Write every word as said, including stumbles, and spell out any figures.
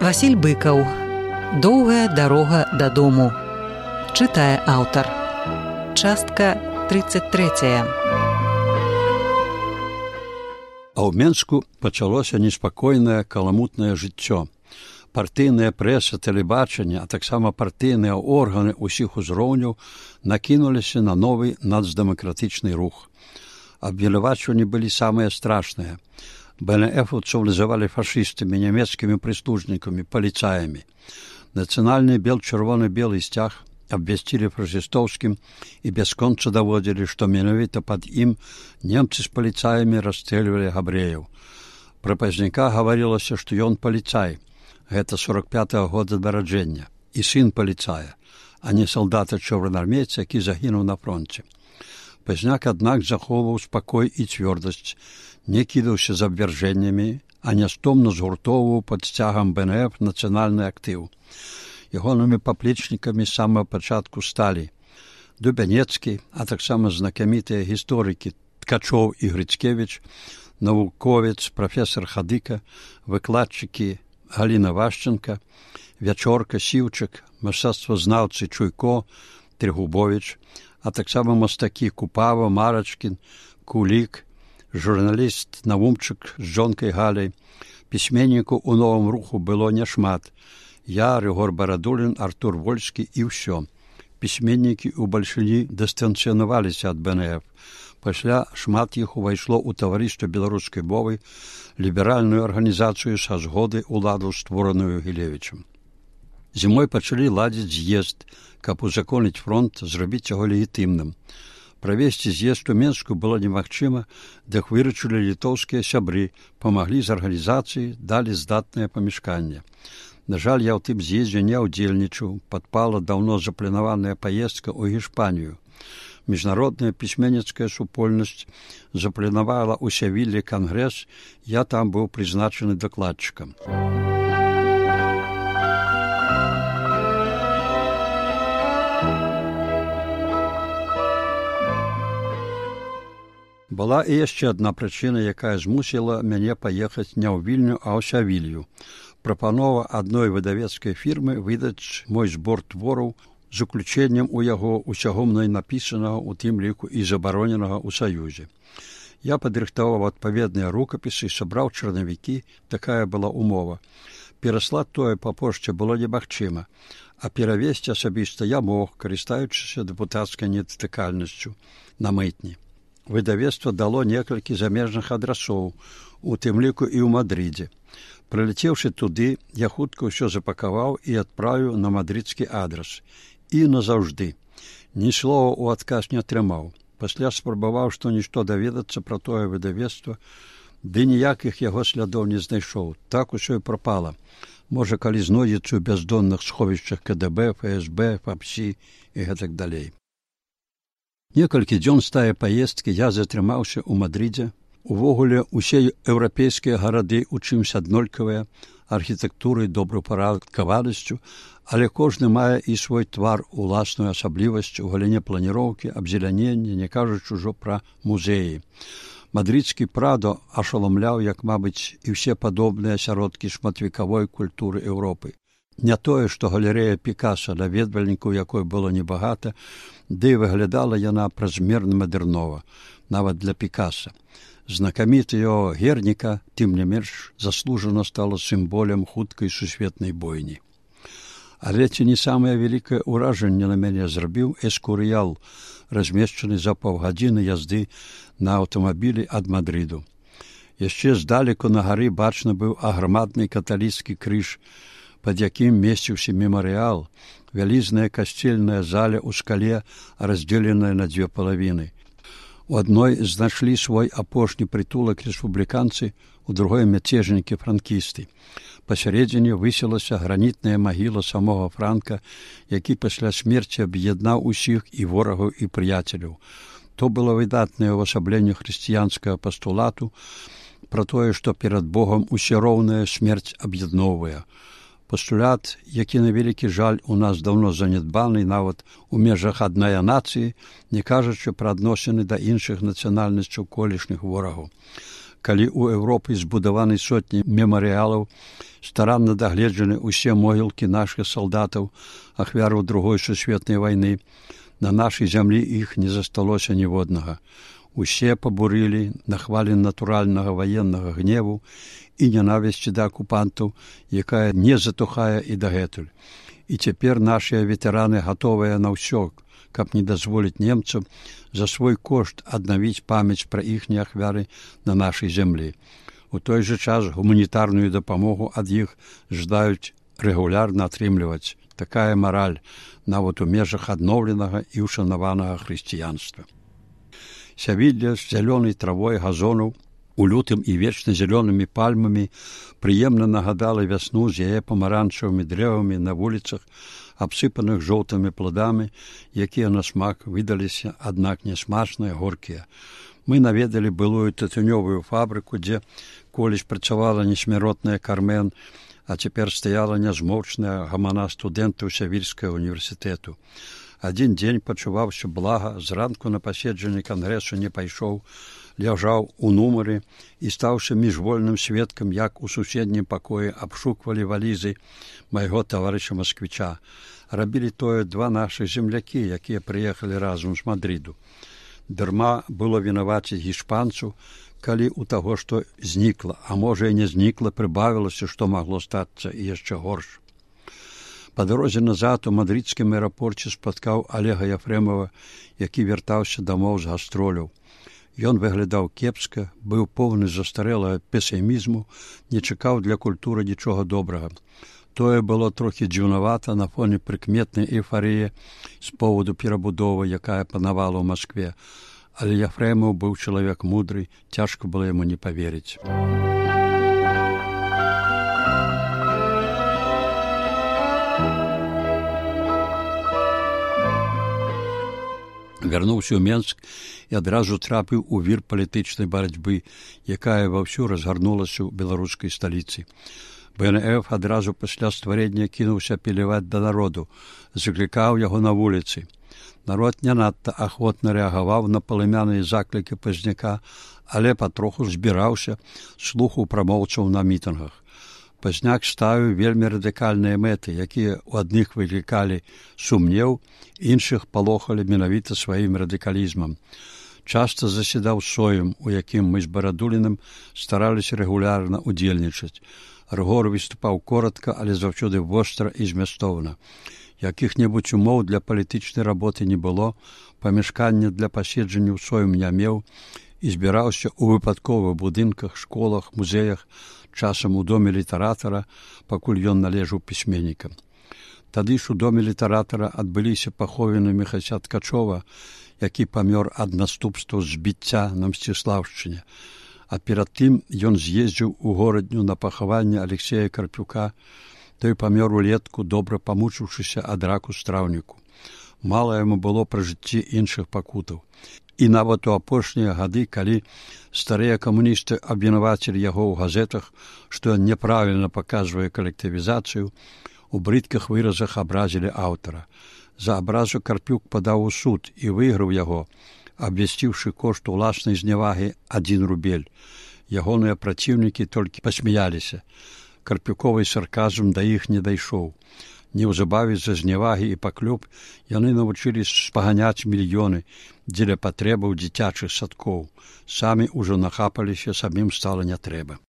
Васіль Быкаў. Доўгая дарога дадому. Чытае аўтар. Частка тридцать третья. А ў Менску пачалося неспакойнае каламутнае жыццё. Партыйная прэса, тэлебачанне, а таксама партыйныя органы ўсіх узроўняў накінуліся на новы нацдэмакратычны рух. Абвінавачванні былі самыя страшныя. БНФаўцаў называлі фашыстамі, нямецкімі прыслужнікамі, паліцаямі. Нацыянальны бел-чырвоны-белы сцяг абвясцілі фашыстоўскім і бясконца даводзілі, што менавіта пад ім немцы з паліцаямі расстрэльвалі габрэяў. Пра пазняка гаварылася, што ён паліцай. Гэта сорок пятага года нараджэння, і сын паліцая, а не салдата-чырвонаармейца, які загінуў на фронце. Пазняк, аднак, захоўваў спакой і цвёрдасць, не кідаўся з абвяржэннямі, а нястомна згуртоўваў пад сцягам БНФ нацыянальны актыў. Ягонымі паплечнікамі з самага пачатку сталі Дубянецкі, а таксама знакамітыя гісторыкі Ткачоў і Грыцкевіч, навуковец прафесор Хадыка, выкладчыкі Галіна Вашченка, Вячорка, Сіўчык, мастацтвазнаўцы Чуйко, Трегубович, а таксама мастакі Купава, Марачкін, Кулік, журналіст Наумчык з жонкай Галяй. Пісьменнікаў у новым руху было няшмат. Я, Рыгор Барадулін, Артур Вольскі і ўсё. Пісьменнікі ўбальшыні дыстанцыянаваліся ад БНФ. Пасля шмат іх увайшло ў таварыства беларускай мовы, ліберальную арганізацыю са згоды ўладу, створаную Гілевічам. Зімой пачалі ладзіць з'езд, каб узаконіць фронт, зрабіць яго легітымным. Правесці з'езд у Менску было немагчыма, дык выручылі літоўскія сябры, памаглі з арганізацыі, далі здатнае памяшканне. На жаль, я ў тым з'ездзе не ўдзельнічаў, падпала даўно запланаваная паездка ў Гішпанію. Міжнародная пісьменніцкая супольнасць запланавала ў Севіллі кангрэс, я там быў прызначаны дакладчыкам. Была і яшчэ адна прычына, якая змусіла мяне паехаць не ў Вільню, а ў Сявілью. Прапанова адной выдавецкай фірмы выдаць мой збор твораў з уключэннем у яго усяго мной напісанага, у тым ліку і забароненага ў Саюзе. Я падрыхтаваў адпаведныя рукапісы, сабраў чарнавікі, такая была умова. Пераслаць тое па пошце было немагчыма, а перавесці асабіста я мог, карыстаючыся дэпутацкай недатыкальнасцю на мытні. Выдавецтва дало некалькі замежных адрасоў, у тым ліку і ў Мадрыдзе. Прылецеўшы туды, я хутка ўсё запакаваў і адправіў на мадрыдскі адрас. І назаўжды. Ні слова ў адказ не атрымаў. Пасля спрабаваў што-нішто даведацца пра тое выдавецтва, ды ніякіх яго слядоў не знайшоў. Так усё і прапала. Можа, калі знойдзецца ў бяздонных сховішчах КДБ, ФСБ, ФАПСі і гэтак далей. Некалькі дзён з тае паездкі я затрымаўся ў Мадрыдзе. Увогуле, усе еўрапейскія гарады ў чымся аднолькавыя, архітэктурай, добраўпарадкаванасцю, але кожны мае і свой твар, уласную асаблівасць у галіне планіроўкі, абзелянення, не кажучы ўжо пра музеі. Мадрыдскі Прадо ашаламляў, як, мабыць, і ўсе падобныя асяродкі шматвекавой культуры Еўропы. Не тое, што галерэя Пікаса, наведвальнікаў якой было небагата, ды выглядала яна празмерна мадэрнова, нават для Пікаса. Знакаміты яго Герніка, тым не менш, заслужана стала сімволем хуткай сусветнай бойні. Але ці не самае вялікае ўражанне на мяне зрабіў эскурыял, размешчаны за паўгадзіны язды на аўтамабілі ад Мадрыду. Яшчэ здалеку на гары бачны быў аграмадны каталіцкі крыж, пад якім месціўся мемарыял, вялізная касцельная заля ў скале, раздзеленая на дзве палавіны. У адной знайшлі свой апошні прытулак рэспубліканцы, у другой мяцежнікі-франкісты. Пасярэдзіне высілася гранітная магіла самога Франка, які пасля смерці аб'яднаў усіх і ворагаў, і прыяцеляў. То было выдатнае ўвасабленне хрысціянскага пастулату пра тое, што перад Богам усе роўная смерць аб'ядноўвае. Пастулят, які на вялікі жаль у нас даўно занядбаны нават у межах аднае нацыі, не кажучы пра адносіны да іншых нацыянальнасцяў колішніх ворагаў. калі ў Еўропы збудаваны сотні мемарыялаў, старанна дагледжаны ўсе могілкі нашых салдатаў, ахвяраў другой сусветнай вайны, на нашай зямлі іх не засталося ніводнага. Усе пабурылі на хвалі натуральнага ваеннага гневу і ненавісці да акупантаў, якая не затухае і дагэтуль. І цяпер нашыя ветэраны гатовыя на ўсё, каб не дазволіць немцам за свой кошт аднавіць памяць пра іхнія ахвяры на нашай зямлі. У той жа час гуманітарную дапамогу ад іх жадаюць рэгулярна атрымліваць. Такая мараль нават у межах адноўленага і ушанаванага хрысціянства. Сявілля з зялёнай травой газонаў, у лютым і вечна зялёнымі пальмамі прыемна нагадала вясну з яе памаранчавымі дрэвамі на вуліцах, абсыпаных жоўтымі пладамі, якія на смак выдаліся, аднак нясмачныя, горкія. Мы наведалі былую тытунёвую фабрыку, дзе колісь працавала несмяротная Кармен, а цяпер стаяла нязмоўчная гамана студэнтаў Сявільскага універсітэту. Адзін дзень пачуваўся блага, зранку на паседжанне кангрэсу не пайшоў, ляжаў у нумары і стаўся міжвольным сведкам, як у суседнім пакоі абшуквалі валізы майго таварыша Масквіча. Рабілі тое два нашых землякі, якія прыехалі разам з Мадрыду. Дарма было вінаваціць гішпанцу, калі у таго, што знікла, а можа і не знікла, прыбавілася, што магло стацца і яшчэ горш. Па дарозе назад у мадрыдскім аэрапорце спаткаў Алега Яфрэмова, які вяртаўся дамоў з гастроляў. Ён выглядаў кепска, быў поўны застарэлага песімізму, не чакаў для культуры нічога добрага. Тое было трохі дзіўнавата на фоне прыкметнай эйфарыі з поводу перабудовы, якая панавала ў Маскве. Але Яфрэмаў быў чалавек мудры, цяжка было яму не паверыць. Вярнуўся ў Менск і адразу трапіў у вір палітычнай барацьбы, якая ваўсю разгарнулася ў беларускай сталіцы. бэ эн эф адразу пасля стварэння кінуўся апеляваць да народу, заклікаў яго на вуліцы. Народ не надта ахвотна рэагаваў на палымяныя заклікі Пазняка, але патроху збіраўся, слухаў прамоўцаў на мітынгах. Пазняк ставіў вельмі радыкальныя мэты, якія ў адных выклікалі сумнеў, іншых палохалі менавіта сваім радыкалізмам. Часта засядаў соем, у якім мы з Барадуліным стараліся рэгулярна ўдзельнічаць. Рыгор выступаў коротка, але заўсёды востра і змястоўна. Якіх-небудзь умоў для палітычнай работы не было, памяшкання для паседжання ў соем не меў і збіраўся ў выпадковых будынках, школах, музеях, часам у доме літаратара, пакуль ён належаў пісьменнікам. Тады ж у доме літаратара адбыліся паховіны Міхася Ткачова, які памёр ад наступстваў збіцця на Мсціслаўшчыне. А перад тым ён з'ездзіў у горадню на пахаванне Алексея Карпюка, той памёр улетку, добра памучыўшыся ад раку страўніку. Мала яму было пра жыцці іншых пакутаў. І нават у апошнія гады, калі старыя камуністы абвінавацілі яго ў газетах, што ён няправільна паказвае калектывізацыю, у брыдкіх выразах абразілі аўтара. За абразу Карпюк падаў у суд і выйграў яго, абвясціўшы кошт уласнай знявагі адзін рубель. Ягоныя праціўнікі толькі пасмяяліся. Карпюковы сарказм да іх не дайшоў. Неўзабаве з-за знявагі і паклёп яны навучыліся спаганяць мільёны дзеля патрэбаў дзіцячых садкоў. Самі ўжо нахапаліся, самім стала не трэба.